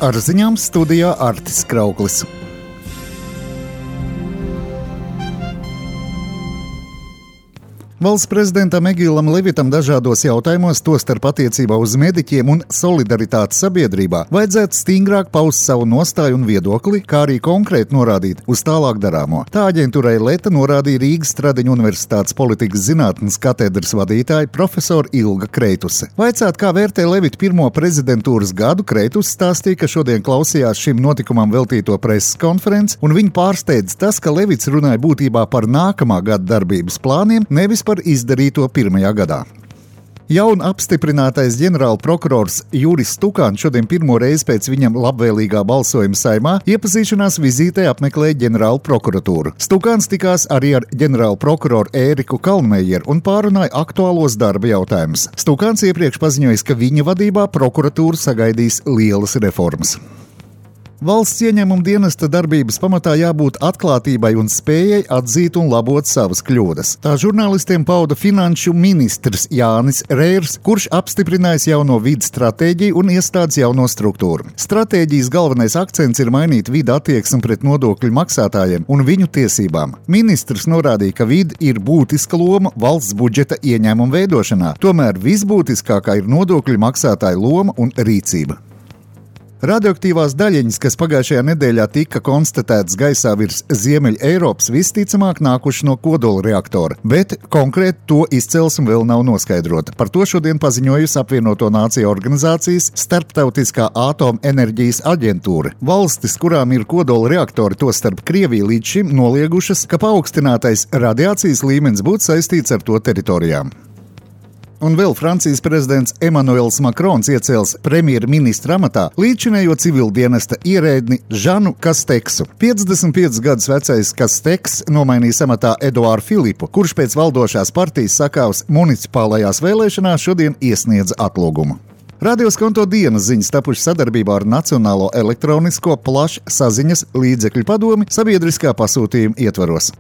Ar ziņām studijā Artis Krauklis. Valsts prezidentam Egilam Levitam dažādos jautājumos, tostarp attiecībā uz mediķiem un solidaritāti sabiedrībā, vajadzētu stingrāk paust savu nostāju un viedokli, kā arī konkrēti norādīt uz tālāk darāmo. Tā aģentūrai Leta norādīja Rīgas Stradiņu Universitātes politikas zinātnes katedras vadītāja profesora Ilga Kreituse. Vaicāt, kā vērtē Levita pirmo prezidentūras gadu, Kreituse stāstīja, ka šodien klausījās šim notikumam veltīto preses konferenci, un viņu pārsteidz tas, ka Levits runāja būtībā par nākamā gada darbības plāniem, nevis par izdarīto pirmajā gadā. Jaun apstiprinātais ģenerāla prokurors Juris Stukāns šodien pirmo reizi pēc viņam labvēlīgā balsojuma Saeimā iepazīšanās vizītē apmeklēja ģenerāla prokuratūru. Stukāns tikās arī ar ģenerāla prokuroru Ēriku Kalnmejeru un pārunāja aktuālos darba jautājumus. Stukāns iepriekš paziņojis, ka viņa vadībā prokuratūra sagaidīs lielas reformas. Valsts ieņēmuma dienesta darbības pamatā jābūt atklātībai un spējai atzīt un labot savas kļūdas. Tā žurnālistiem pauda finanšu ministrs Jānis Rērs, kurš apstiprinājis jauno vides stratēģiju un iestādes jauno struktūru. Stratēģijas galvenais akcents ir mainīt vidu attieksmi pret nodokļu maksātājiem un viņu tiesībām. Ministrs norādīja, ka vide ir būtiska loma valsts budžeta ieņēmuma veidošanā, tomēr visbūtiskākā ir nodokļu maksātāju loma un rīcība. Radioaktīvās daļiņas, kas pagājušajā nedēļā tika konstatētas gaisā virs Ziemeļa Eiropas, visticamāk nākuši no kodola reaktora, bet konkrēti to izcelsme vēl nav noskaidrota. Par to šodien paziņojusi Apvienoto Nāciju organizācijas Starptautiskā atomenerģijas aģentūra. Valstis, kurām ir kodola reaktori, tostarp Krievija, līdz šim noliegušas, ka paaugstinātais radiācijas līmenis būtu saistīts ar to teritorijām. Un vēl Francijas prezidents Emmanuels Macrons iecēls premjerministra amatā līdzinējo civildienesta ierēdni Žanu Kasteksu. 55 gadus vecais Kasteks nomainīs amatā Eduāru Filipu, kurš pēc valdošās partijas sakāvs municipālajās vēlēšanās šodien iesniedza atlūgumu. Radioskonto dienas ziņas tapušas sadarbībā ar Nacionālo elektronisko plašsaziņas līdzekļu padomi sabiedriskā pasūtījuma ietvaros.